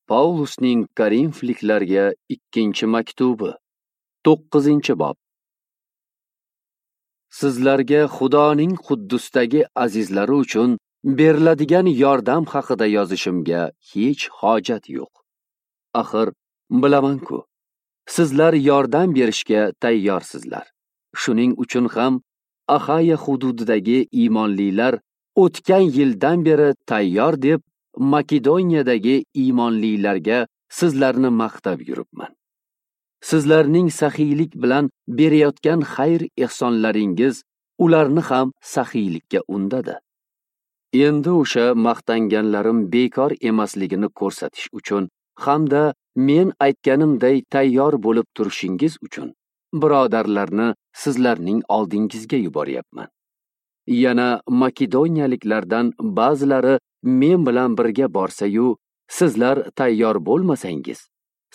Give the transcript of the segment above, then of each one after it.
Pavlusning Korinfliklarga ikkinchi maktubi, 9-bob. Sizlarga Xudoning Quddusdagi azizlari uchun beriladigan yordam haqida yozishimga hech hojat yo'q. Axir bilaman-ku, sizlar yordam berishga tayyorsizlar. Shuning uchun ham Axaya hududidagi iymonlilar o'tgan yildan beri tayyor deb Makedoniyadagi iymonlilarga sizlarni maqtab yuribman. Sizlarning saxiylik bilan berayotgan xayr-ehsonlaringiz ularni ham saxiylikka undadi. Endi o'sha maqtanganlarim bekor emasligini ko'rsatish uchun hamda men aytganimday tayyor bo'lib turishingiz uchun birodarlarni sizlarning oldingizga yuboryapman. Yana makedoniyaliklardan ba'zilari men bilan birga borsa-yu, sizlar tayyor bo'lmasangiz,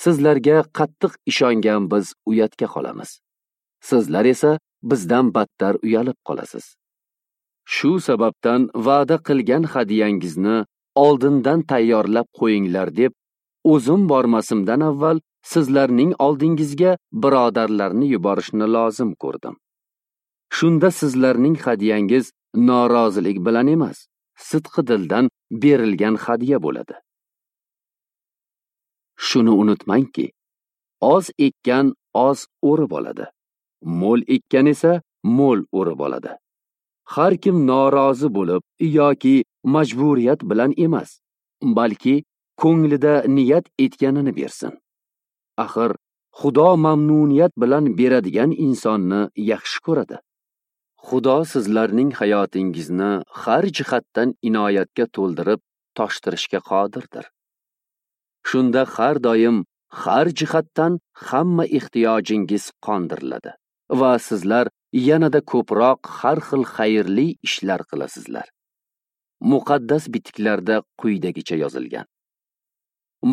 sizlarga qattiq ishongan biz uyatga qolamiz. Sizlar esa bizdan battar uyalib qolasiz. Shu sababdan va'da qilgan hadiyangizni oldindan tayyorlab qo'yinglar deb o'zim bormasimdan avval sizlarning oldingizga birodarlarni yuborishni lozim ko'rdim. Shunda sizlarning hadiyangiz norozilik bilan emas, sidqi dildan berilgan hadiya bo'ladi. Shuni unutmangki, oz ekkan oz o'rib oladi, mo'l ekkan esa mo'l o'rib oladi. Har kim norozi bo'lib yoki majburiyat bilan emas, balki ko'nglida niyat etganini bersin. Axir Xudo mamnuniyat bilan beradigan insonni yaxshi ko'radi. Xudo sizlarning hayotingizni har jihatdan inoyatga to'ldirib toshtirishga qodirdir. Shunda har doim har jihatdan hamma ehtiyojingiz qondiriladi va sizlar yanada ko'proq har xil xayrli ishlar qilasizlar. Muqaddas bitiklarda quyidagicha yozilgan: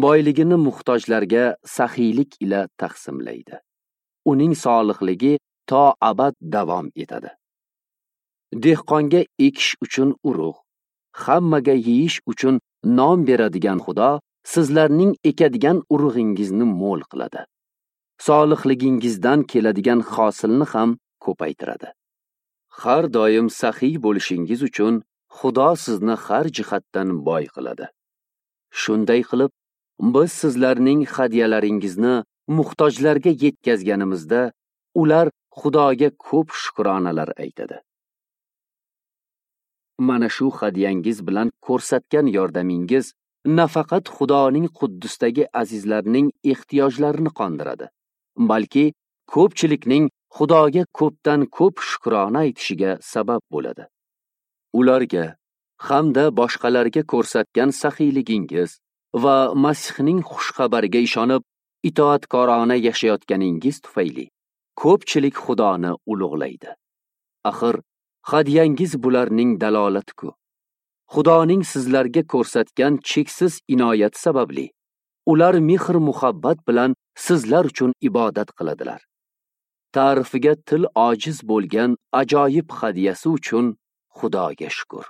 boyligini muhtojlarga saxiylik ila taqsimlaydi. Uning solihligi to abad davom etadi. Dehqonga ekish uchun urug', hammaga yeyish uchun non beradigan Xudo sizlarning ekadigan urug'ingizni mo'l qiladi. Solihligingizdan keladigan hosilni ham ko'paytiradi. Har doim saxiy bo'lishingiz uchun Xudo sizni har jihatdan boy qiladi. Shunday qilib, biz sizlarning hadiyalaringizni muhtojlarga yetkazganimizda, ular Xudoga ko'p shukronalar aytadi. Mana shu hadiyangiz bilan ko'rsatgan yordamingiz nafaqat Xudoning Quddusdagi azizlarning ehtiyojlarini qondiradi, balki ko'pchilikning Xudoga ko'pdan ko'p shukrona aytishiga sabab bo'ladi. Ularga hamda boshqalarga ko'rsatgan saxiyligingiz va Masihning xushxabariga ishonib itoatkorona yashayotganingiz tufayli ko'pchilik Xudoni ulug'laydi. Axir hadiyangiz bularning dalolati-ku. Xudoning sizlarga ko'rsatgan cheksiz inoyat sababli ular mehr-muhabbat bilan sizlar uchun ibodat qiladilar. Ta'rifiga til ojiz bo'lgan ajoyib hadiyasi uchun Xudoga shukr.